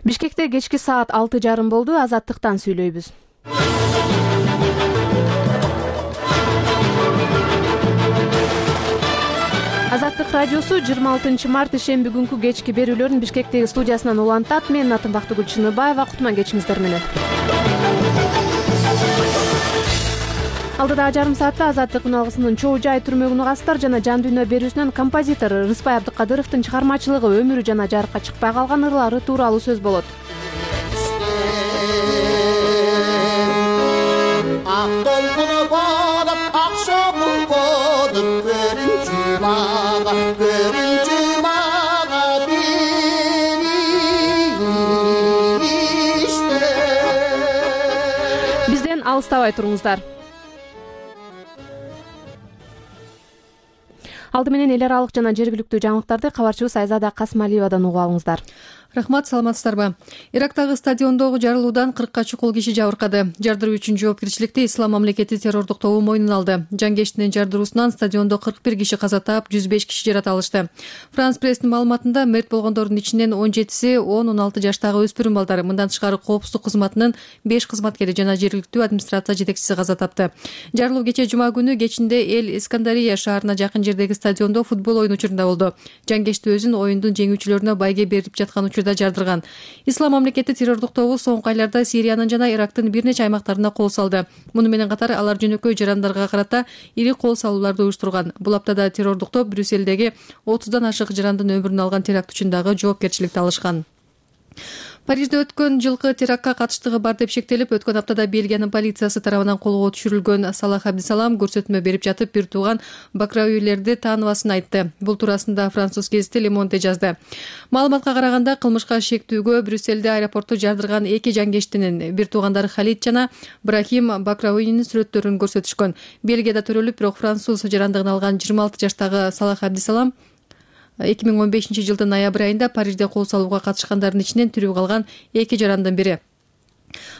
Бишкекте кечки саат 6:30 болду. Азаттыктан сүйлөйбүз. Азаттык радиосу 26 март ишемби күнкү кечки берүүлөрүн Бишкектеги студиясынан улантат. Мен атым Бактыгүл Чыныбаева. Кутман кечиңиздер менен. Алдыда жарым саатта Азаттык үналгысынын чоо жай түрмөгүн угасыздар жана жан дүйнө берүүсүнөн композитор Рыспай Абдыкадыровдун чыгармачылыгы, өмүрү жана жарыкка чыкпай калган ырлары тууралуу сөз болот. Бизден алыстабай туруңуздар. Алды менен эл аралык жана жергиликтүү жаңылыктарды кабарчыбыз Айзада Касмалиевадан угуп алыңыздар. Рахмат, саламатсыздарбы? Ирактагы стадиондогу жарылуудан 40ка чукул киши жабыркады. Жардыруу үчүн жоопкерчиликти Ислам мамлекети террордук тобу мойнуна алды. Жангештинин жардыруусунан стадиондо 41 киши каза таап, 105 киши жарата алышты. Франс пресстин маалыматында мерт болгондордун ичинен 17си 10-16 жаштагы өспүрүм балдар. Мындан тышкары коопсуздук кызматынын 5 кызматкери жана жергиликтүү администрация жетекчиси каза тапты. Жарылуу кечээ жума күнү кечинде Эл Искандария шаарына жакын жердеги стадиондо футбол ойunu учурунда болду. Жангешти өзүн оюндун жеңүүчүлөрүнө байге берип жаткан учурда жардырган. Ислам мамлекети террордук тобу соңку айларда Сириянын жана Ирактын бир нече аймактарына кол салды. Муну менен катар алар жөнөкөй жарандарга карата ири кол салууларды уюштурган. Бул аптада террордук топ Брюссельдеги 30дан ашык жарандын өмүрүн алган теракт үчүн дагы жоопкерчиликти алышкан. Парижде өткөн жылкы терактка катыштыгы бар деп шектелип, өткөн аптада Бельгиянын полициясы тарабынан колго түшүрүлгөн Салах Абдисалам көрсөтмө берип жатып, бир тууган бакрауилерди тааныбасын айтты. Бул туурасында француз гезити Le Monde жазды. Маалыматка караганда, кылмышка шектүүгө Брюссельде аэропорту жардырган эки жангештинин, бир туугандары Халид жана Брахим Бакрауинин сүрөттөрүн көрсөтүшкөн. Бельгияда төрөлүп, бирок француз жарандыгын алган 26 жаштагы Салах Абдисалам 2015 жылдын ноябрь айында Парижде кол салууга катышкандардын ичинен тирүү калган эки жарандын бири.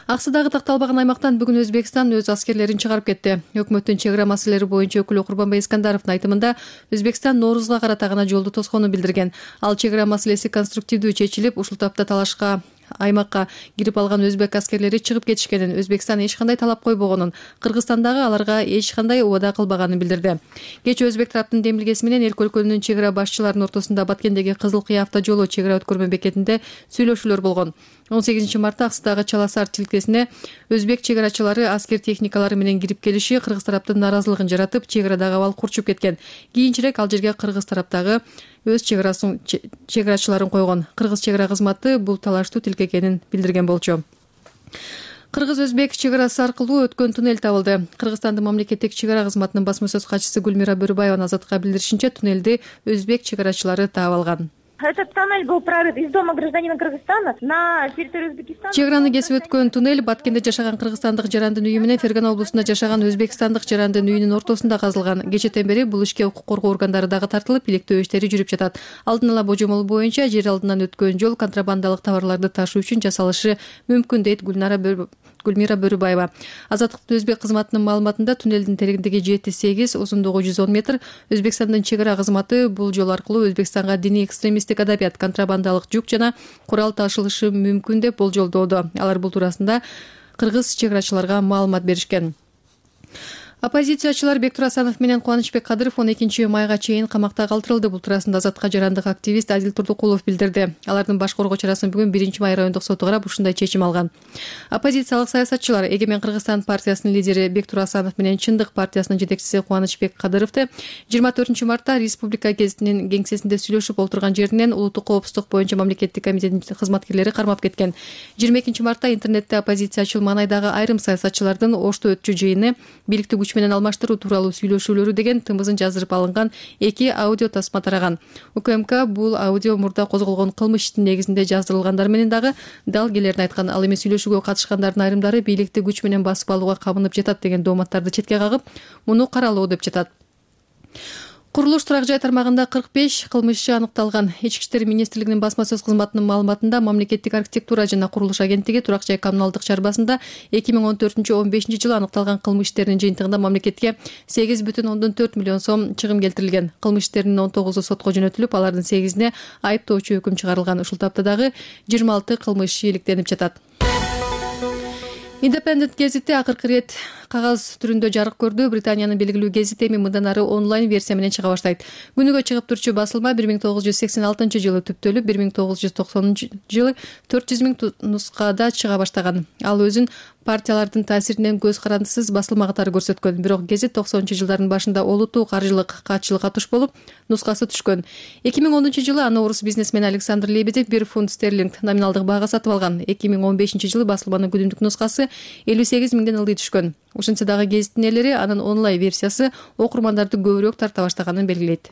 Аксыдагы такталбаган аймактан бүгүн Өзбекстан өз аскерлерин чыгарып кетти. Өкмөттүн чек ара маселелери боюнча өкүлү Курбанбай Искандаровдун айтымында, Өзбекстан Ноорузга карата гана жолду тосконун билдирген. Ал чек ара маселеси конструктивдүү чечилип, ушул тапта талашка аймакка кирип алган өзбек аскерлери чыгып кетишкенин, Өзбекстан эч кандай талап койбогонун, Кыргызстандагы аларга эч кандай убада кылбаганын билдирди. Кечээ өзбек тараптын демилгеси менен эки өлкөнүн чек ара башчыларынын ортосунда Баткендеги Кызыл Кыя автожолу чек ара өткөрмө бекетинде сүйлөшүүлөр болгон. 18 мартта Аксыдагы Чаласар тилкесине өзбек чек арачылары аскер техникалары менен кирип келиши кыргыз тараптын наразылыгын жаратып, чек арадагы абал курчуп кеткен. Кийинчерээк ал жерге кыргыз тараптагы өз чек арачыларын койгон. Кыргыз чек ара кызматы бул талаштуу тилке экенин билдирген болчу. Кыргыз-өзбек чек арасы аркылуу өткөн туннель табылды. Кыргызстандын мамлекеттик чек ара кызматынын басма сөз катчысы Гүлмира Бөрүбаеванын Азаттыкка билдиришинче, туннелди өзбек чек арачылары таап алган. Этот тоннель был прорыт из дома гражданина Кыргызстана на территорию Узбекистана. Чек араны кесип өткөн туннель Баткенде жашаган кыргызстандык жарандын үйү менен Фергана облусунда жашаган өзбекстандык жарандын үйүнүн ортосунда казылган. Кечээден бери бул ишке укук коргоо органдары дагы тартылып, иликтөө иштери жүрүп жатат. Алдын ала божомол боюнча жер алдынан өткөн жол контрабандалык товарларды ташуу үчүн жасалышы мүмкүн, дейт Гүлмира Бөрүбаева. Азаттыктын өзбек кызматынын маалыматында туннелдин тереңдиги 7-8, узундугу 110 метр. Өзбекстандын чек ара кызматы бул жол аркылуу Өзбекстанга диний экстремисттик адабият, контрабандалык жүк жана курал ташылышы мүмкүн деп болжолдоодо. Алар бул туурасында кыргыз чек арачыларга маалымат беришкен. Оппозициячылар Бектур Асанов менен Кубанычбек Кадыров 12 майга чейин камакта калтырылды. Бул туурасында Азатка жарандык активист Адил Турдукулов билдирди. Алардын баш коргоо чарасын бүгүн 1 май райондук соту карап, ушундай чечим алган. Оппозициялык саясатчылар Эгемен Кыргызстан партиясынын лидери Бектур Асанов менен Чындык партиясынын жетекчиси Кубанычбек Кадыровду 24 мартта Республика гезитинин кеңсесинде сүйлөшүп олтурган жеринен улуттук коопсуздук боюнча мамлекеттик комитеттин кызматкерлери кармап кеткен. 22 мартта интернетте оппозициячыл маанайдагы айрым саясатчылардын Ошто өтчү жыйыны бийликтик күч менен алмаштыруу тууралуу сүйлөшүүлөрү деген тымызын жаздырып алынган 2 аудио тасма тараган. УКМК бул аудио мурда козголгон кылмыш иштин негизинде жаздырылгандар менен дагы далгелерин айткан. Ал эми сүйлөшүүгө катышкандардын айрымдары бийликти күч менен басып алууга кабынып жатат деген дооматтарды четке кагып, муну каралоо деп жатат. Курулуш турак жай тармагында 45 кылмышчы аныкталган. Ички иштер министрлигинин басма сөз кызматынын маалыматында мамлекеттик архитектура жана курулуш агенттиги турак жай коммуналдык чарбасында 2014-15 жылы аныкталган кылмыш иштеринин жыйынтыгында мамлекетке 8,4 миллион сом чыгым келтирилген. Кылмыш иштеринин 19-у сотко жөнөтүлүп, алардын 8-ине айыптоочу өкүм чыгарылган. Ушул тапта дагы 26 кылмыш ийгиликтенип жатат. Independent гезити акыркы ирет кагаз түрүндө жарык көрдү. Британиянын белгилүү гезит эми мындан ары онлайн версия менен чыга баштайт. Күнүгө чыгып турчу басылма 1986 жылы түптөлүп, 1990 жылы 400 000 нускада чыга баштаган. Ал өзүн партиялардын таасиринен көз карандысыз басылма катары көрсөткөн. Бирок гезит 90-жылдардын башында олуттуу каржылык катчылыкка туш болуп, нускасы түшкөн. 2010 жылы аны орус бизнесмен Александр Лебедев 1 фунт стерлинг номиналдык баага сатып алган. 2015 жылы басылманын күнүмдүк нускасы 58 миңден ылдый түшкөн. Ошентсе дагы гезиттин ээлери анын онлайн версиясы окурмандарды көбүрөөк тарта баштаганын белгилейт.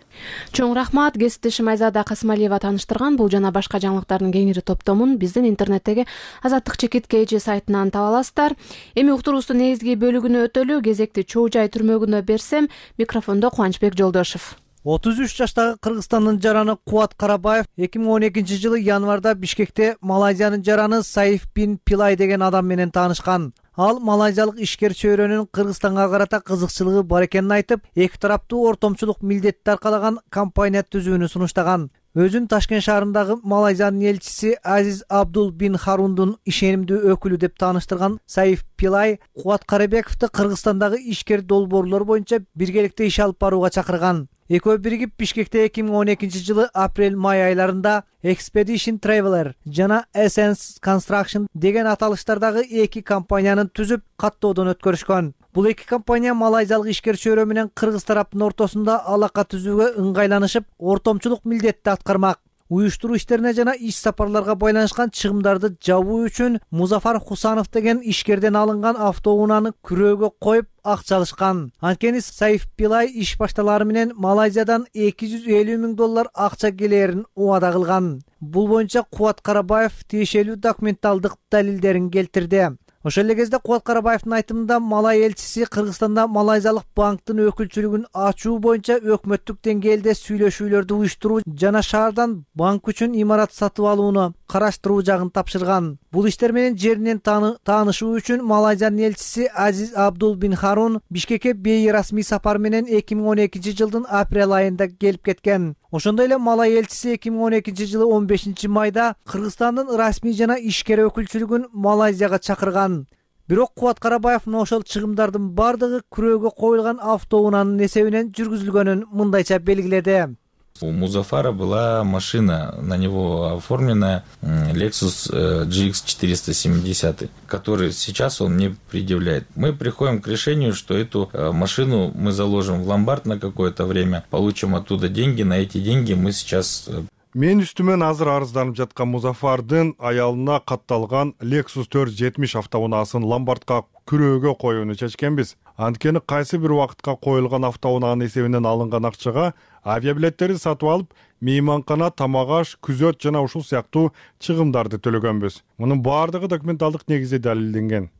Чоң рахмат. Гезитти Шымайзада Касымалиева тааныштырган. Бул жана башка жаңылыктардын кеңири топтомун биздин интернеттеги Азаттык чекит KG сайтынан таба аласыздар. Эми уктуруубуздун негизги бөлүгүнө өтөлү. Кезекти Чоо Жай түрмөгүнө берсем, микрофондо Кубанычбек Жолдошов. 33 жаштагы Кыргызстандын жараны Кубат Карабаев 2012 жылы январда Бишкекте Малайзиянын жараны Саиф бин Пилай деген адам менен таанышкан. Ал малайзиялык ишкер чөйрөнүн Кыргызстанга карата кызыкчылыгы бар экенин айтып, эки тараптуу ортомчулук милдетти аркалаган компания түзүүнү сунуштаган. Өзүн Ташкент шаарындагы Малайзиянын элчиси Азиз Абдул бин Харундун ишенимдүү өкүлү деп тааныштырган Саиф Пилай Кубат Карабековду Кыргызстандагы ишкер долбоорлор боюнча биргеликте иш алып барууга чакырган. Экөө биригип Бишкекте 2012 жылы апрель-май айларында Expedition Traveler жана Essence Construction деген аталыштардагы эки компаниянын түзүп каттоодон өткөрүшкөн. Бул эки компания малайзиялык ишкер чөйрө менен кыргыз тараптын ортосунда алака түзүүгө ыңгайланышып, ортомчулук милдетти аткармак. Уюштуруу иштерине жана иш сапарларга байланышкан чыгымдарды жабуу үчүн Музафар Хусанов деген ишкерден алынган автоунааны күрөөгө коюп акча алышкан. Анткени Саиф Пилай иш башталары менен Малайзиядан $250 000 акча келерин убада кылган. Бул боюнча Кубат Карабаев тиешелүү документалдык далилдерин келтирди. Ошол эле кезде Кубат Карабаевдин айтымында Малай элчиси Кыргызстанда малайзиялык банктын өкүлчүлүгүн ачуу боюнча өкмөттүк деңгээлде сүйлөшүүлөрдү уюштуруу жана шаардан банк үчүн имарат сатып алууну караштыруу жагын тапшырган. Бул иштер менен жеринен таанышуу үчүн Малайзиянын элчиси Азиз Абдул бин Харун Бишкекке бейрасмий сапар менен 2012 жылдын апрель айында келип кеткен. Ошондой эле Малай элчиси 2012 жылы 15 майда Кыргызстандын расмий жана ишкер өкүлчүлүгүн Малайзияга чакырган. Бирок Кубат Карабаев ошол чыгымдардын бардыгы күрөөгө коюлган автоунаанын эсебинен жүргүзүлгөнүн мындайча белгиледи. У Музафара была машина, на него оформленная Lexus GX 470, который сейчас он не предъявляет. Мы приходим к решению, что эту машину мы заложим в ломбард на какое-то время, получим оттуда деньги, на эти деньги мы сейчас... Мен үстүмөн азыр арызданып жаткан Музафардын аялына катталган Lexus 470 автоунаасын ломбардка күрөөгө коюуну чечкенбиз. Анткени кайсы бир убакытка коюлган автоунаанын эсебинен алынган акчага авиабилеттерди сатып алып, мейманкана, тамак аш, күзөт жана ушул сыяктуу чыгымдарды төлөгөнбүз. Мунун баардыгы документалдык негизде далилденген.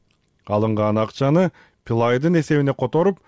Алынган акчаны Пилайдын эсебине которуп,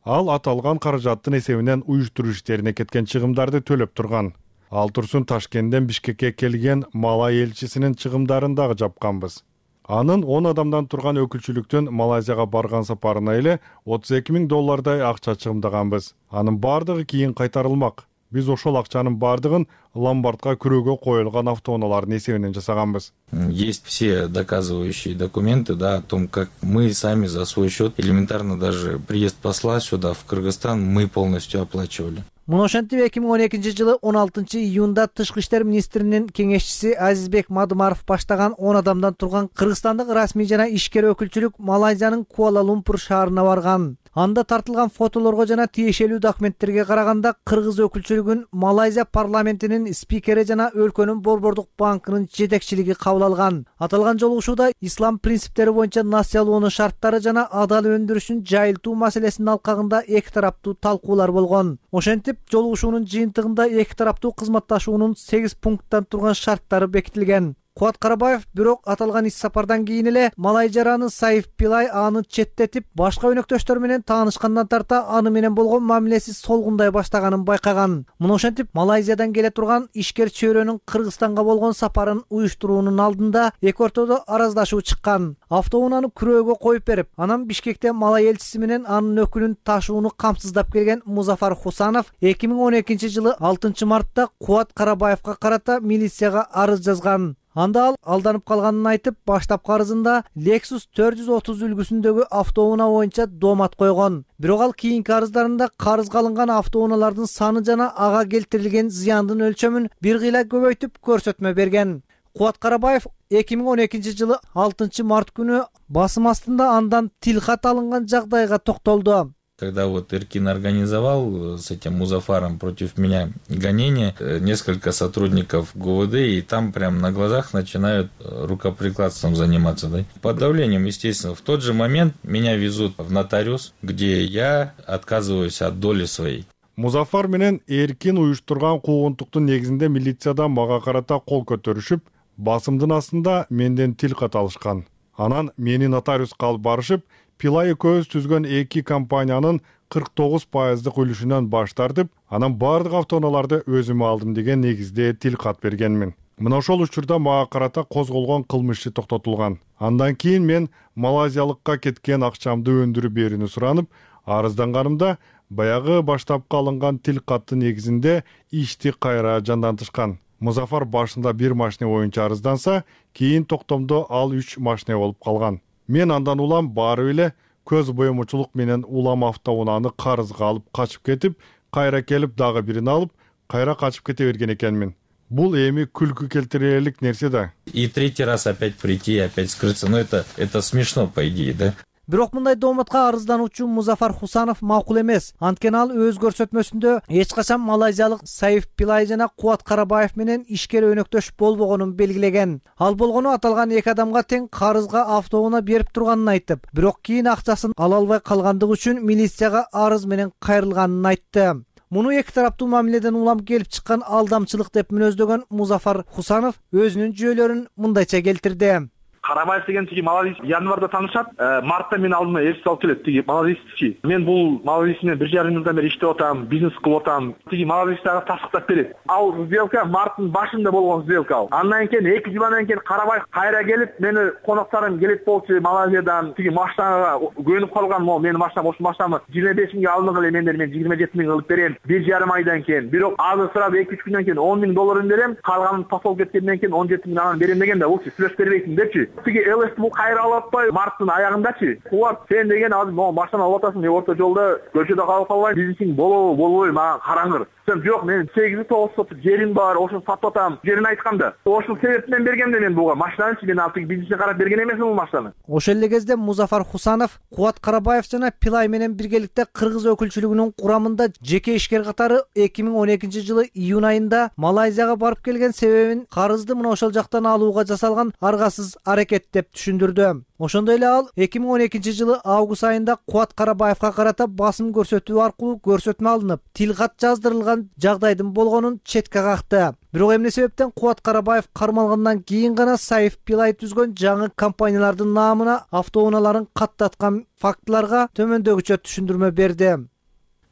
ал аталган каражаттын эсебинен уюштуруу иштерине кеткен чыгымдарды төлөп турган. Ал турсун Ташкенттен Бишкекке келген Малай элчисинин чыгымдарын дагы жапканбыз. Анын 10 адамдан турган өкүлчүлүктүн Малайзияга барган сапарына эле $32 000 акча чыгымдаганбыз. Анын бардыгы кийин кайтарылмак. Биз ошол акчанын бардыгын ломбардка күрөөгө коюлган автоунаалардын эсебинен жасаганбыз. Есть все доказывающие документы, да, о том, как мы сами за свой счет, элементарно даже приезд посла сюда, в Кыргызстан, мы полностью оплачивали. Муну ошентип 2012 жылы 16 июнда Тышкы иштер министринин кеңешчиси Азизбек Мадымаров баштаган 10 адамдан турган Кыргызстандык расмий жана ишкер өкүлчүлүк Малайзиянын Куала-Лумпур шаарына барган. Анда тартылган фотолорго жана тиешелүү документтерге караганда кыргыз өкүлчүлүгүн Малайзия парламентинин спикери жана өлкөнүн Борбордук банкынын жетекчилиги кабыл алган. Аталган жолугушууда ислам принциптери боюнча насыялоонун шарттары жана адал өндүрүшүн жайылтуу маселесинин алкагында эки тараптуу талкуулар болгон. Ошентип, жолугушуунун жыйынтыгында эки тараптуу кызматташуунун 8 пункттан турган шарттары бекитилген. Кубат Карабаев бирок аталган ис сапардан кийин эле малай жараны Саиф Пилай аны четтетип, башка өнөктөштөр менен таанышкандан тарта аны менен болгон мамилеси солгундай баштаганын байкаган. Муну ошентип Малайзиядан келе турган ишкер чөйрөнүн Кыргызстанга болгон сапарын уюштуруунун алдында эки ортодо араздашуу чыккан. Автоунааны күрөөгө коюп берип, анан Бишкекте Малай элчиси менен анын өкүлүн ташууну камсыздап келген Музафар Хусанов 2012-жылы 6-мартта Кубат Карабаевга карата милицияга арыз жазган. Анда ал алданып калганын айтып, баштапкы арызында Lexus 430 үлгүсүндөгү автоунаа боюнча доомат койгон. Бирок ал кийинки арыздарында карызга алынган автоунаалардын саны жана ага келтирилген зыяндын өлчөмүн бир кыйла көбөйтүп көрсөтмө берген. Кубат Карабаев 2012-жылы 6-март күнү басым астында андан тилкат алынган жагдайга токтолду. Когда вот Эркин организовал с этим Музафаром против меня гонение, несколько сотрудников ГУВД, и там прям на глазах начинают рукоприкладством заниматься. Да? Под давлением, естественно. В тот же момент меня везут в нотариус, где я отказываюсь от доли своей. Музафар менен Эркин уюштурган куугунтуктун негизинде милициядан мага карата кол көтөрүшүп, басымдын астында менден тил кат алышкан. Анан мени нотариуска алып барышып, Пилай экөөбүз түзгөн эки компаниянын 49% үлүшүнөн баш тартып, анан бардык автоунааларды өзүмө алдым деген негизде тил кат бергенмин. Мына ошол учурда мага карата козголгон кылмыш иши токтотулган. Андан кийин мен малайзиялыкка кеткен акчамды өндүрүп берүүнү суранып, арызданганымда баягы баштапкы алынган тил каттын негизинде ишти кайра жандантышкан. Музафар башында 1 машина боюнча арызданса, кийин токтомдо ал 3 машина болуп калган. Мен андан улам барып эле көз боемочулук менен улам автоунааны карызга алып качып кетип, кайра келип дагы бирин алып, кайра качып кете берген экенмин. Бул эми күлкү келтирерлик нерсе да. И третий раз опять прийти, опять скрыться. Ну это смешно, по идее, да? Бирок мындай дооматка арыздануучу Музафар Хусанов макул эмес. Анткени ал өз көрсөтмөсүндө эч качан малайзиялык Саиф Пилай жана Кубат Карабаев менен ишкер өнөктөш болбогонун белгилеген. Ал болгону аталган эки адамга тең карызга автоунаа берип турганын айтып, бирок кийин акчасын ала албай калгандыгы үчүн милицияга арыз менен кайрылганын айтты. Муну эки тараптуу мамиледен улам келип чыккан алдамчылык деп мүнөздөгөн Музафар Хусанов өзүнүн жүйөлөрүн мындайча келтирди. Карабаев деген тиги малазист январда таанышат, мартта мен алдыма элчи алып келет тиги малазистчи. Мен бул малазист менен 1,5 жылдан бери иштеп атам, бизнес кылып атам. Тиги малазисттага тастыктап берет. Ал сделка марттын башында болгон сделка. Андан кийин 2 жылдан кийин Карабаев кайра келип, мени конокторум келет болчу Малайзиядан, тиги машинага көнүп калган, могу менин машинам, ошол машинамы 25 миңге алдыңгы эле мен 27 миң кылып берем 1,5 айдан кийин. Бирок азыр сурап 2-3 күндөн кийин 10 миң долларын берем, калганын тосолуп кеткенден кийин 17 миң анан берем дегенде, ул сүйлөш бербейсиң депчи. Тиги ЛС бул кайра алып атпай, марттын аягындачы. Кубат, сен деген азыр могу машина алып атасың, мен орто жолдо көчөдө калып калбайм, бизнесиң болобу, мага караңыр. Сен жок, мен 8-9 сот жерим бар, ошону сатып атам. Жерин айтканда, ошол себептен бергем мен буга машинаны, мен ал тиги бизнеске карап берген эмесмин бул машинаны. Ошол эле кезде Музафар Хусанов Кубат Карабаев жана Пилай менен биргеликте Кыргыз өкүлчүлүгүнүн курамында жеке ишкер катары 2012-жылы июнь айында Малайзияга барып келген себебин карызды мына ошол жактан алууга жасалган аргасыз аракет деп түшүндүрдү. Ошондой эле ал 2012-жылы август айында Кубат Карабаевга карата басым көрсөтүү аркылуу көрсөтмө алынып, тилкат жаздырылган жагдайдын болгонун четке какты. Бирок эмне себептен Кубат Карабаев кармалгандан кийин гана Саиф Пилай түзгөн жаңы компаниялардын наамына автоунааларын каттаткан фактыларга төмөндөгүчө түшүндүрмө берди.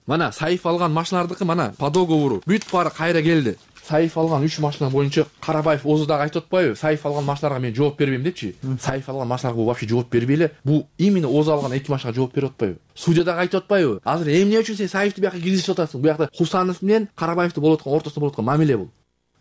Мана Саиф алган машиналардыкы мана по договору бүт баары кайра келди. Саиф алган 3 машина боюнча Карабаев озуда айтып атпайбы? Саиф алган машиналарга мен жооп бербейм депчи. Саиф алган машиналарга бул вообще жооп бербей эле. Бул именно Оз алган 2 машинага жооп берип атпайбы? Судьяда айтып атпайбы? Азыр эмне үчүн сен Саифти бияка киргизип атасың? Бу жакта Хусанов менен Карабаевти болуп аткан ортосунда болуп аткан мамиле бул.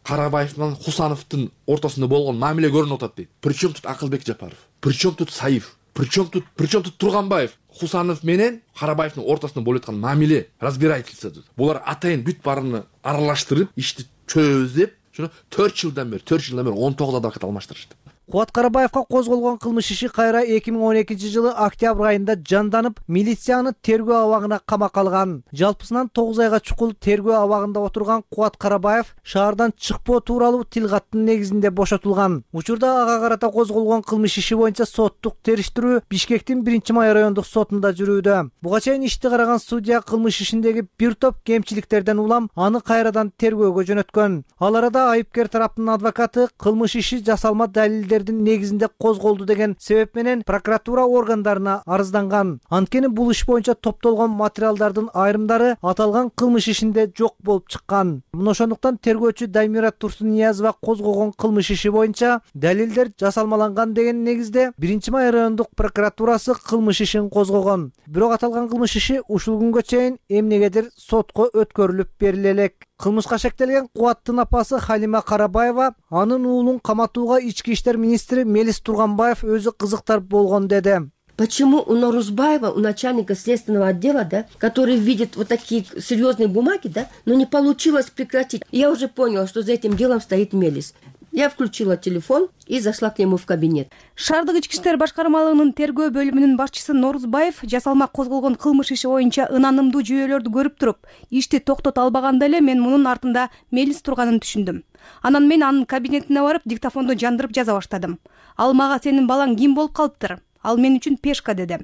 Карабаев менен Хусановдун ортосунда болгон мамиле көрүнүп атат дейт. Причем тут Акылбек Жапаров? Причем тут Саиф? Причем тут Турганбаев? Хусанов менен Карабаевдин ортосунда болуп аткан мамиле, разбирательство. Булар атайын бүт баарыны аралаштырып, ишти чөбөбүз деп 4 жылдан бери 19 адвокат алмаштырышты. Кубат Карабаевга козголгон кылмыш иши кайра 2012-жылы октябрь айында жанданып, милицияны тергөө абагына камакка алган. Жалпысынан 9 айга чукул тергөө абагында отурган Кубат Карабаев шаардан чыкпоо тууралуу тилгаттын негизинде бошотулган. Учурда ага карата козголгон кылмыш иши боюнча соттук териштирүү Бишкектин 1-май райондук сотунда жүрүүдө. Буга чейин ишти караган судья кылмыш ишиндеги бир топ кемчиликтерден улам аны кайрадан тергөөгө жөнөткөн. Ал арада айыпкер тараптын адвокаты кылмыш иши жасалма далилдердин негизинде козголду деген себеп менен прокуратура органдарына арызданган. Анткени бул иш боюнча топтолгон материалдардын айрымдары аталган кылмыш ишинде жок болуп чыккан. Мына ошондуктан тергөөчү Даймира Турсунниязова козгогон кылмыш иши боюнча далилдер жасалмаланган деген негизде 1-май райондук прокуратурасы кылмыш ишин козгогон. Бирок аталган кылмыш иши ушул күнгө чейин эмнегедир сотко өткөрүлүп бериле элек. Кылмышка шектелген Кубаттын апасы Халима Карабаева анын уулун каматууга ички иштер министри Мелис Турганбаев өзү кызыктар болгон деди. Почему у Норузбаева, у начальника следственного отдела, да, который видит вот такие серьезные бумаги, да, но не получилось прекратить. Я уже поняла, что за этим делом стоит Мелис. Я включила телефон и зашла к нему в кабинет. Шаардык ички иштер башкармалыгынын тергөө бөлүмүнүн башчысы Норузбаев жасалма козголгон кылмыш иши боюнча ынанымдуу жүйөлөрдү көрүп туруп, ишти токтото албаганда эле мен мунун артында Мелис турганын түшүндүм. Анан мен анын кабинетине барып диктофонду жандырып жаза баштадым. Ал мага сенин балаң ким болуп калыптыр? Ал мен үчүн пешка деди.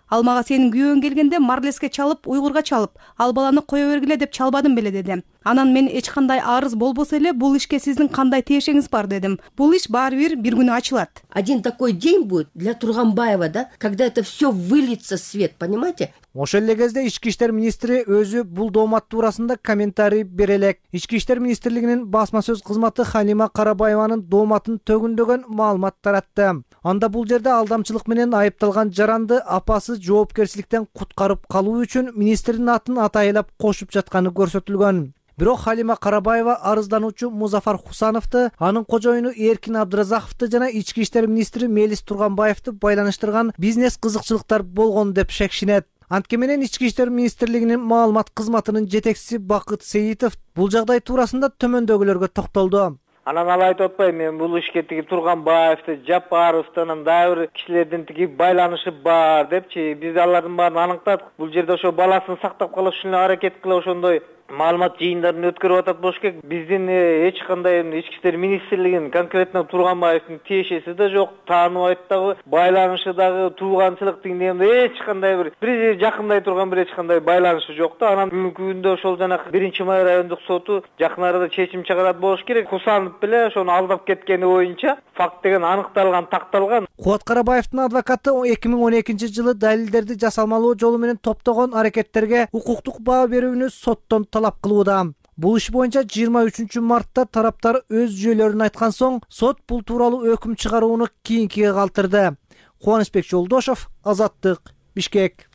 Ал мага сенин күйөөң келгенде марлеске чалып, уйгурга чалып, ал баланы кое бергиле деп чалбадым беле деди. Анан мен эч кандай арыз болбосо эле бул ишке сиздин кандай тиешеңиз бар дедим. Бул иш баары бир күнү ачылат. Один такой день будет для Турганбаева, да, когда это все выльется в свет, понимаете? Ошол эле кезде ички иштер министри өзү бул доомат туурасында комментарий бере элек. Ички иштер министрлигинин басма сөз кызматы Халима Карабаеванын дооматын төгүндөгөн маалымат таратты. Анда бул жерде алдамчылык менен айыпталган жаранды апасы жоопкерчиликтен куткарып калуу үчүн министрдин атын атайлап кошуп жатканы көрсөтүлгөн. Бирок Халима Карабаева арыздануучу Музафар Хусановду, анын кожоюну Эркин Абдыразаковду жана ички иштер министри Мелис Турганбаевду байланыштырган бизнес кызыкчылыктар болгон деп шекшинет. Антке менен ички иштер министрлигинин маалымат кызматынын жетекчиси Бакыт Сейитов бул жагдай туурасында төмөндөгүлөргө токтолду. Анан ал айтып атпайбы, мен бул ишке тиги Турганбаевди, Жапаровду, анан дагы бир кишилердин тиги байланышы бар депчи. Биз алардын баарын аныктадык. Бул жерде ошо баласын сактап калыш үчүн аракет кыла ошондой маалымат жыйындарын өткөрүп атат болуш керек. Биздин эч кандай ички иштер министрлигинин конкретно Турганбаевдин тиешеси да жок, тааныбайт дагы, байланышы дагы, тууганчылык дегенде эч кандай бир жакындай турган бир эч кандай байланышы жок да. Анан бүгүнкү күндө ошол жанагы 1-май райондук соту жакын арада чечим чыгарат болуш керек. Хусанов беле ошону алдап кеткени боюнча факт деген аныкталган, такталган. Кубат Карабаевдин адвокаты 2012-жылы далилдерди жасалмалуу жолу менен топтогон аракеттерге укуктук баа берүүнү соттон талап кылууда. Бул иш боюнча 23 мартта тараптар өз жүйөлөрүн айткан соң сот бул тууралуу өкүм чыгарууну кийинкиге калтырды. Кубанычбек Жолдошов, Азаттык, Бишкек.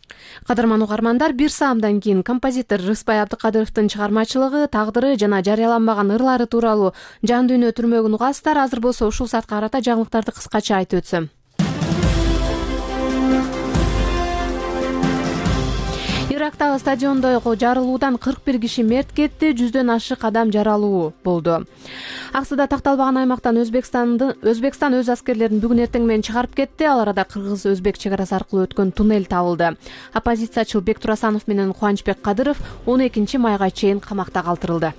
Кадырман угармандар, бир саамдан кийин композитор Рыспай Абдыкадыровдун чыгармачылыгы, тагдыры жана жарыяланбаган ырлары тууралуу жан дүйнө түрмөгүн угасыздар. Азыр болсо ушул саатка карата жаңылыктарды кыскача айтып өтсөм. Ирактагы стадиондогу жарылуудан 41 киши мерт кетти, 100дөн ашык адам жаралуу болду. Аксыда такталбаган аймактан Өзбекстан өз аскерлерин бүгүн эртең менен чыгарып кетти. Ал арада кыргыз-өзбек чек арасы аркылуу өткөн туннель табылды. Оппозициячыл Бек Турасанов менен Кубанычбек Кадыров 12 майга чейин камакта калтырылды.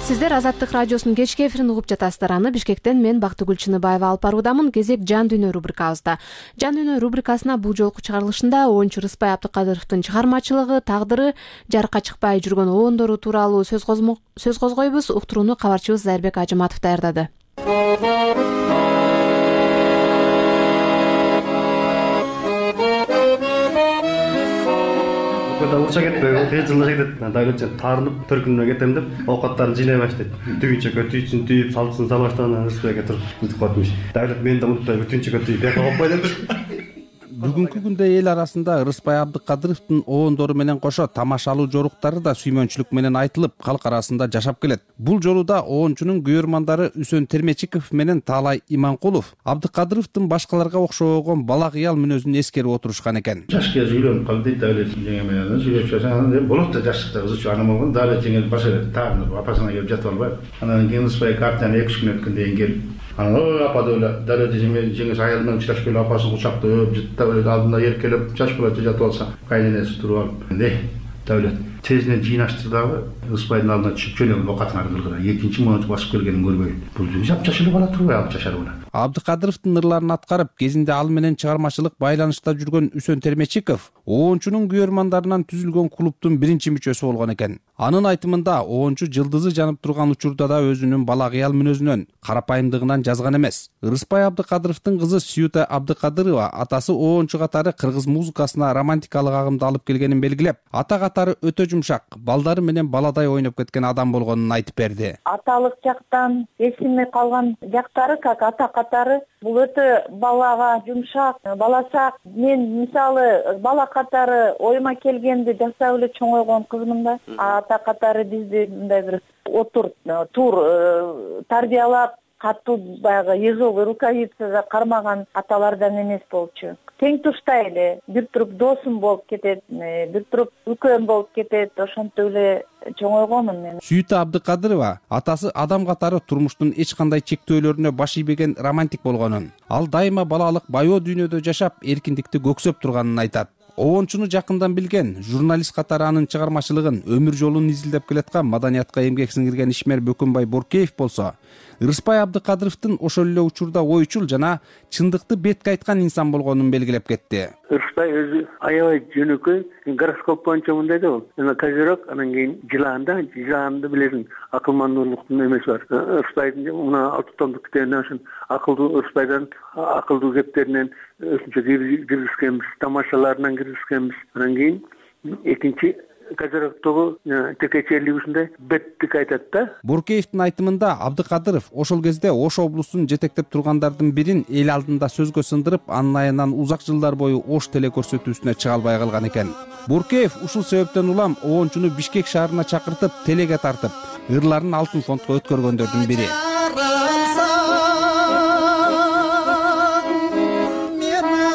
Сиздер Азаттык радиосунун кечки эфирин угуп жатасыздар. Аны Бишкектен мен Бактыгүл Чыныбаева алып баруудамын. Кезек жан дүйнө рубрикабызда. Жан дүйнө рубрикасына бул жолку чыгарылышында оюнчу Рыспай Абдыкадыровдун чыгармачылыгы, тагдыры, жарыкка чыкпай жүргөн обондору тууралуу сөз козгойбуз. Уктурууну кабарчыбыз Зайырбек Ажыматов даярдады. Уча кетпей, тез жылы кетет. Дайлыча тарынып, төркүнүнө кетем деп, оокаттарын жыйнай баштайт. Түгүнчөккө түйсүн түйүп, салсын салаштан Рыспайга туруп бүтүп калдым. Дайлык мен да унутпай бүтүнчөккө түйүп, бияка коп кой деп. Бүгүнкү күндө эл арасында Ырысбай Абдыкадыровдун оондору менен кошо тамашалуу жоруктары да сүймөнчүлүк менен айтылып, калк арасында жашап келет. Бул жолу да оончунун күйөрмандары Үсөн Термечиков менен Таалай Иманкулов Абдыкадыровдун башкаларга окшогон бала кыял мүнөзүн эскерип отурушкан экен. Жаш кез үйлөнүп калды дейт, Давлет жеңе менен сүйлөп жатсаң, болот да жаштыкта кызычу анам болгон. Давлет жеңе баша тагынып апасына келип жатып албайбы. Анан кийин Ырысбай картаны 2-3 күн өткөндөн кийин келип, анан апа деп Давлет жеңе аялы менен учурашып келип апасын кучактап, жыттап алдында эркелеп, жаш бала жатып алса, кайненеси туруп алып, Давлет тезинен жыйнаштыр дагы Ырысбайдын алдына түшүп жөнөп окатына кылгыра. Экинчи мөөнөт басып келгенин көрбөй. Бул жапжаш эле бала турбай алып жашар бала. Абдыкадыровдун ырларын аткарып, кезинде ал менен чыгармачылык байланышта жүргөн Үсөн Термечиков оончунун күйөрмандарынан түзүлгөн клубдун биринчи мүчөсү болгон экен. Анын айтымында оончу жылдызы жанып турган учурда да өзүнүн бала кыял мүнөзүнөн, карапайымдыгынан жазган эмес. Ырысбай Абдыкадыровдун кызы Сүйүта Абдыкадырова атасы оончу катары кыргыз музыкасына романтикалык агымды алып келгенин белгилеп, ата катары өтө жумшак, балдары менен баладай ойноп кеткен адам болгонун айтып берди. Аталык жактан эсиме калган жактары, как ата катары, бул өтө балага жумшак, баласак. Мен мисалы бала катары ойма келгенди жасап эле чоңойгон кызмын да. Ата катары бизди мындай бир тур тарбиялап, катуу баягы ежовый рукавицага кармаган аталардан эмес болчу. Тең туштай эле бир туруп досум болуп кетет, бир туруп үлкөн болуп кетет, ошентип эле чоңойгонмун мен. Сүйүта Абдыкадырова атасы адам катары турмуштун эч кандай чектөөлөрүнө баш ийбеген романтик болгонун, ал дайыма балалык байоо дүйнөдө жашап, эркиндикти көксөп турганын айтат. Оончуну жакындан билген, журналист катары анын чыгармачылыгын, өмүр жолун изилдеп келаткан маданиятка эмгек сиңирген ишмер Бөкөнбай Боркеев болсо, Ырысбай Абдыкадыровдун ошол эле учурда ойчул жана чындыкты бетке айткан инсан болгонун белгилеп кетти. Ырысбай өзү аябай жөнөкөй, гороскоп боюнча мындай да бол. Козерог, анан кийин жыланды билесиң, акылмандуулуктун эмеси бар. Ырысбайдын мына 6 томдук китебинен ошон акылдуу Ырысбайдан акылдуу кептеринен өзүнчө киргизгенбиз, тамашаларынан киргизгенбиз. Анан кийин экинчи Козерогдогу текечелигисинде беттик айтат да. Боркеевдин айтымында Абдыкадыров ошол кезде Ош облусун жетектеп тургандардын бирин эл алдында сөзгө сындырып, анын айынан узак жылдар бою Ош телекөрсөтүүсүнө чыга албай калган экен. Боркеев ушул себептен улам оончуну Бишкек шаарына чакыртып, телеге тартып, ырларын алтын фондко өткөргөндөрдүн бири.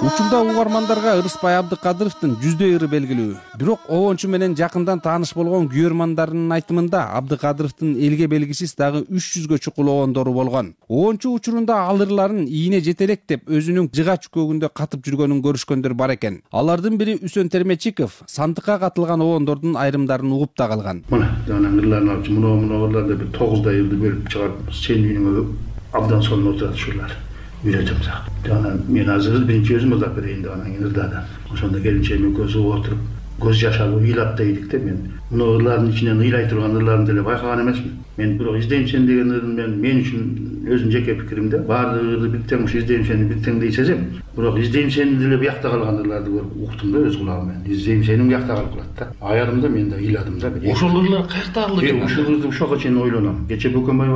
Учурда угармандарга Ырысбай Абдыкадыровдун жүздөй ыры белгилүү. Бирок оончу менен жакындан тааныш болгон күйөрмандарынын айтымында Абдыкадыровдун элге белгисиз дагы 300гө чукул оондору болгон. Оончу учурунда ал ырларын ийине жетелек деп өзүнүн жыга чүкөгүндө катып жүргөнүн көрүшкөндөр бар экен. Алардын бири Үсөн Термечиков сандыкка катылган оондордун айрымдарын угуп да калган. Мына жанагы ырларын алып, мына ырларды бир 9 йылды бөлүп чыгарып, сен үйүңө абдан сонун отурат ушулар. Үйрөтөмсак. Жана мен азыр биринчи өзүм ырдап берейин деп анан кийин ырдадым. Ошондо келинчегим экөөбүз отуруп, көз жаш алып ыйлап да ийдик да мен. Мына ырлардын ичинен ыйлай турган ырларын деле байкаган эмесмин. Мен бирок издейм сени деген ырын мен үчүн өзүмдүн жеке пикиримде баардык ырды бир тең ушу издейм сени бир тең дей сезем. Бирок издейм сени деле буякта калган ырларды көрүп уктум да өз кулагым менен. Издейм сени буякта калып калат да. Аярым да мен да ыйладым да. Ошол ырлар каертагыл экен? Ушул ырды ушуга чейин ойлоном. Кече Бөкөнбай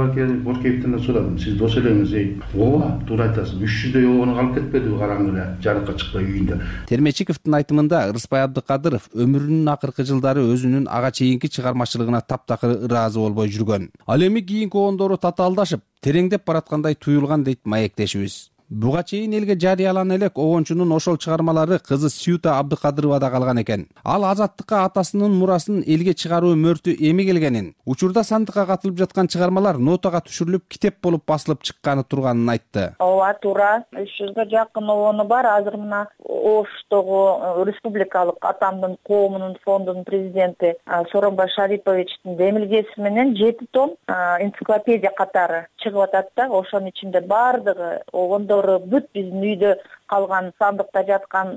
Боркеевден да сурадым. Сиз дос элеңиз, ооба, туура айтасыз. 300дөй оогону калып кетпедиби караңгы эле, жарыкка чыкпай үйүндө. Термечиковдун айтымында Ырысбай Абдыкадыров өмүрүнүн акыркы жылдары өзүнүн ага чейинки чыгармачылыгына таптакыр ыраазы болбой жүргөн. Ал эми кийинки оондору татаалдашып, тереңдеп бараткандай туюлган дейт маектешибиз. Буга чейин элге жарыялана элек оончунун ошол чыгармалары кызы Сүйүта Абдыкадыровада калган экен. Ал азаттыкка атасынын мурасын элге чыгаруу мөртү эми келгенин, учурда сандыкка катылып жаткан чыгармалар нотага түшүрүлүп, китеп болуп басылып чыкканы турганын айтты. Ооба, туура. 300гө жакын оону бар. Азыр мына Оштогу республикалык атамдын коомунун фондунун президенти Сооронбай Шариповичтин демилгеси менен 7 том энциклопедия катары чыгып атат да. Ошонун ичинде бардыгы оондору бүт биздин үйдө калган, сандыкта жаткан,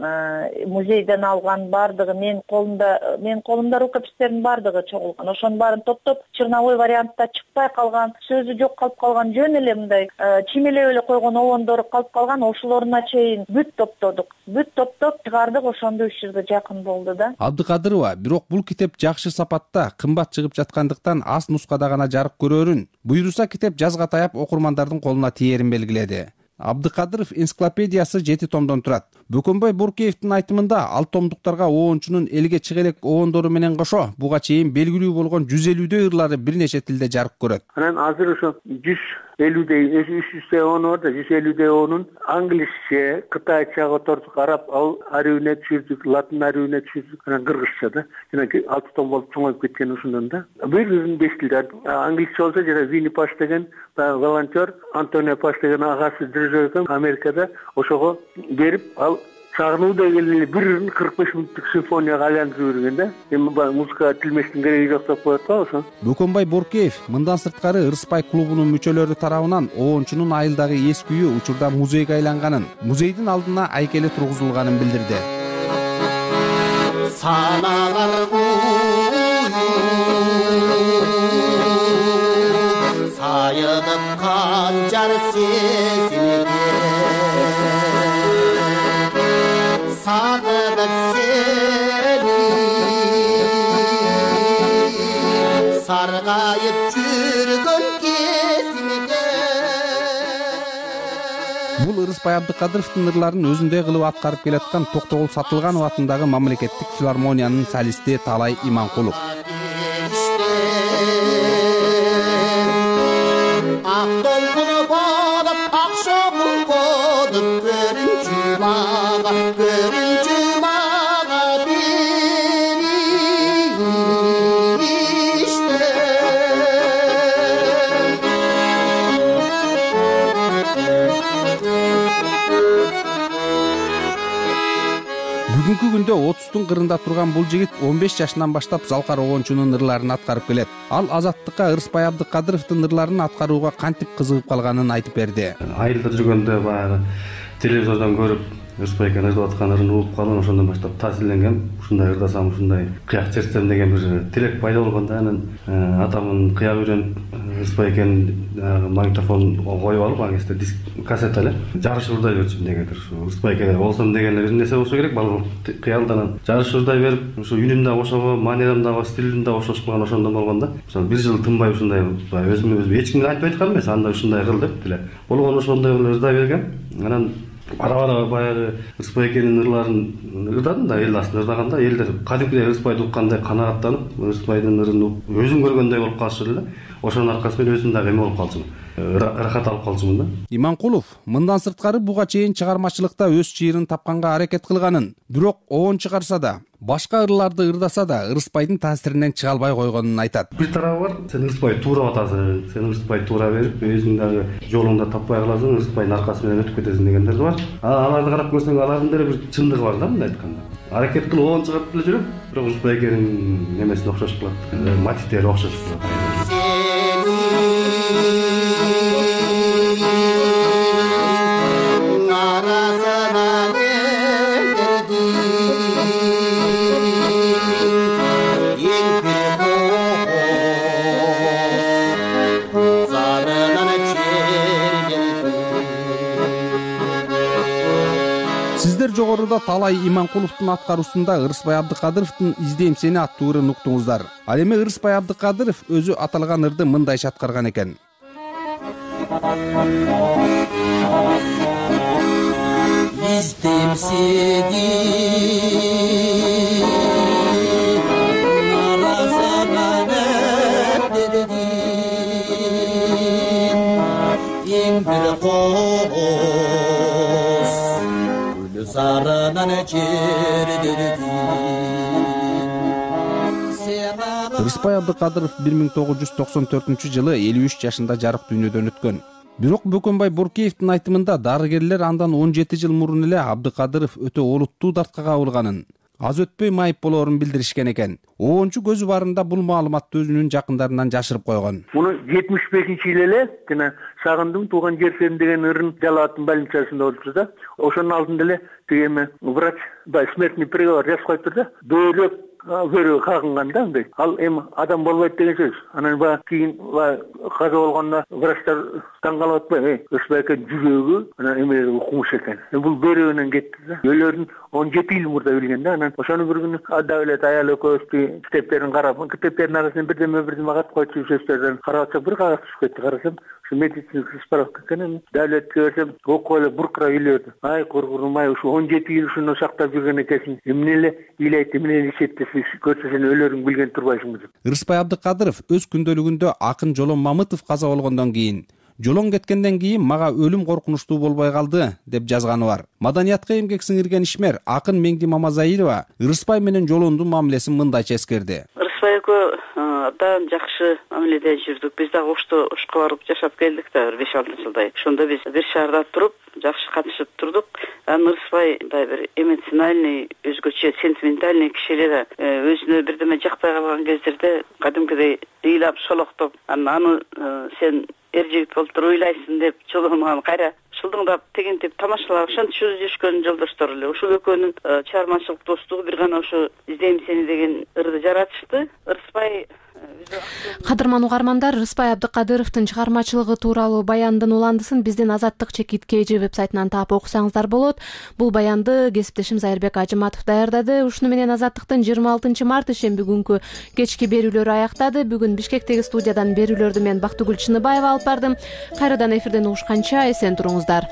музейден алган бардыгы менин колумда рукопистердин бардыгы чогулган. Ошонун баарын топтоп черновой вариантта чыкпай калган, сөзү жок калып калган, жөн эле мындай чимелеп эле койгон оондору калып калган. Ошолоруна чейин бүт топтодук. Бүт топтоп чыгардык, ошондо 300гө жакын болду да. Абдыкадырова бирок бул китеп жакшы сапатта, кымбат чыгып жаткандыктан аз нускада гана жарык көрөрүн, буйруса китеп жазга таяп окурмандардын колуна тиерин белгиледи. Абдыкадыров энциклопедиясы 7 томдон турат. Бөкөнбай Боркеевдин айтымында ал томдуктарга оончунун элге чыга элек оондору менен кошо буга чейин белгилүү болгон 150дей ырлары бир нече тилде жарык көрөт. Анан азыр ошо 150дей 300дей оону бар да, 150дей оонун англисче, кытайча котордук, араб арүүнө түшүрдүк, латын арүүнө түшүрдүк, анан кыргызча да. Жана 6 том болуп чоңоюп кеткен ошондон да. Бир 5 тилде. Англисче болсо жана Винни Паш деген волонтер, Антонио Паш деген агасы дирижер Америкада, ошого берип ал чагынуудай эле бир 45 мүнөттүк симфонияга айландырып жүргөн да. Эми музыкага тилмештин кереги жок деп коет го ошо. Бөкөнбай Боркеев мындан сырткары Ырыспай клубунун мүчөлөрү тарабынан оончунун айылдагы эс күйү учурда музейге айланганын, музейдин алдына айкели тургузулганын билдирди. Саналар сайылып канжар сезимге сагынып сени саргайып жүргөн кезимге. Бул Ырыспай Абдыкадыровдун ырларын өзүндөй кылып аткарып келаткан Токтогул Сатылганов атындагы мамлекеттик филармониянын солисти Талай Иманкулов. Ак толкуну болуп, ак шоңун болуп, көрүнчү мага Бүгүнкү күндө 30-тун кырында турган бул жигит 15 жашынан баштап Залкар оончунун ырларын аткарып келет. Ал Азаттыкка Ырыспай Абдыкадыровдун ырларын аткарууга кантип кызыгып калганын айтып берди. Айылда жүргөндө баягы телевизордон көрүп Ырыспай экен ырдап аткан ырын угуп калган, ошондон баштап таасирленгем. Ушундай ырдасам, ушундай кыяк чертсем деген бир тилек пайда болгондо анан атамын кыяк үйрөнүп Ырыспай экен магнитофон коюп алып, аңесте диск кассета эле жарыш урдай берчүмүн дегендир. Ушу Ырыспай эке болсом деген бир нерсе болсо керек, балалык кыялдан жарыш урдай берип, ушу үнүм да ошого, манерам да, стилим да ошошуп калган, ошондон болгондо. Ошо бир жыл тынбай ушундай өзүм эч кимге айтпай аткан эмес, анда ушундай кыл деп деле. Болгон ошондой ырдай бергем. Анан бара баягы Ырыспай экенин ырларын ырдадым да, эл астында ырдаганда элдер кадимкидей Ырыспайды уккандай канааттанып, Ырыспайдын ырын өзүм көргөндөй болуп калышты эле. Ошонун аркасы менен өзүм дагы эме болуп калчумун, ырахат алып калчумун да. Иманкулов мындан сырткары буга чейин чыгармачылыкта өз чыйырын тапканга аракет кылганын, бирок оон чыгарса да, башка ырларды ырдаса да Ырыспайдын таасиринен чыга албай койгонун айтат. Бир тарабы бар, сен Ырыспайды туурап атасың, сен Ырыспайды туура берип, өзүң дагы жолуңда таппай каласың, Ырыспайдын аркасы менен өтүп кетесиң дегендер бар. Аларды карап көрсөң, алардын деле бир чындыгы бар да, мындай айтканда. Аракет кылып оон чыгарып деле жүрөм, бирок Ырыспай экенин немесине окшошуп калат, мотивдери окшошуп калат. Сиздер жогоруда Талай Иманкуловдун аткаруусунда Ырыспай Абдыкадыровдун «Издейм сени» аттуу ырын уктуңуздар. Ал эми Ырыспай Абдыкадыров өзү аталган ырды мындайча аткарган экен. Издейм сени наразанан эрдедин эң бир кооз зарынан жердедин. Ырыспай Абдыкадыров 1994-жылы 53 жашында жарык дүйнөдөн өткөн. Бирок Бөкөнбай Боркеевдин айтымында дарыгерлер андан 17 жыл мурун эле Абдыкадыров өтө олуттуу дартка кабылганын, аз өтпөй майып болоорун билдиришкен экен. Оончу көзү барында бул маалыматты өзүнүн жакындарынан жашырып койгон. Муну 75-жылы эле жана Сагындым тууган жерсем деген ырын Жалал аттын больницасында болчу да. Ошонун алдында эле тиги врач смертный приговор жазып коюптур да. Бөөлөп көрүү кагынган да андай. Ал эми адам болбойт деген сөз. Анан кийин каза болгондо врачтар таң калып атпайбы? Ырыспай экен жүрөгү анан эме укмуш экен. Бул бөөрөгүнөн кетти да. Өлөрүн 17 жыл мурда билген да. Анан ошону бир күнү Адавлет аял экөөбүз китептерин карап, китептердин арасынан бирдеме катып койчу сөздөрдөн карап атсак, бир кагаз түшүп кетти. Карасам, медицинский справка экенин давлетке берсем окуп эле буркурап үйлөрдү. Ай кургунум, ай ушу 17 жыл ушуну сактап жүргөн экенсиң, эмне эле ыйлайт, эмне эле иштетти, көрсө сен өлөрүңдү билген турбайсыңбы деп. Ырысбай Абдыкадыров өз күндөлүгүндө акын Жолон Мамытов каза болгондон кийин Жолон кеткенден кийин мага өлүм коркунучтуу болбой калды деп жазганы бар. Маданиятка эмгек сиңирген ишмер акын Меңди Мамазаилова Ырысбай менен Жолондун мамилесин мындайча эскерди. Ырысбай экөө абдан жакшы мамиледе жүрдүк. Биз дагы ошко барып жашап келдик да 5-6 жылдай. Ошондо биз бир шаарда туруп, жакшы катышып турдук. Анан Ырысбай мындай бир эмоциональный, өзгөчө сентиментальный киши эле да. Өзүнө бирдеме жакпай калган кездерде кадимкидей ыйлап шолоктоп, аны сен эр жигит болуп туруп ыйлайсың деп Жолондун кайра шылдыңдап тегинтип тамашалап ошентип жүрүшкөн жолдоштор эле. Ушул экөөнүн чыгармачылык достугу бир гана ошо издейм сени деген ырды жаратышты. Ырысбай Кадырман угармандар, Ырысбай Абдыкадыровдун чыгармачылыгы тууралуу баяндын уландысын биздин Азаттык чекит KG вебсайтынан таап окусаңыздар болот. Бул баянды кесиптешим Зайырбек Ажыматов даярдады. Ушуну менен Азаттыктын 26 март ишемби күнкү кечки берүүлөрү аяктады. Бүгүн Бишкектеги студиядан берүүлөрдү мен Бактыгүл Чыныбаева алып бардым. Кайрадан эфирден угушканча эсен туруңуздар.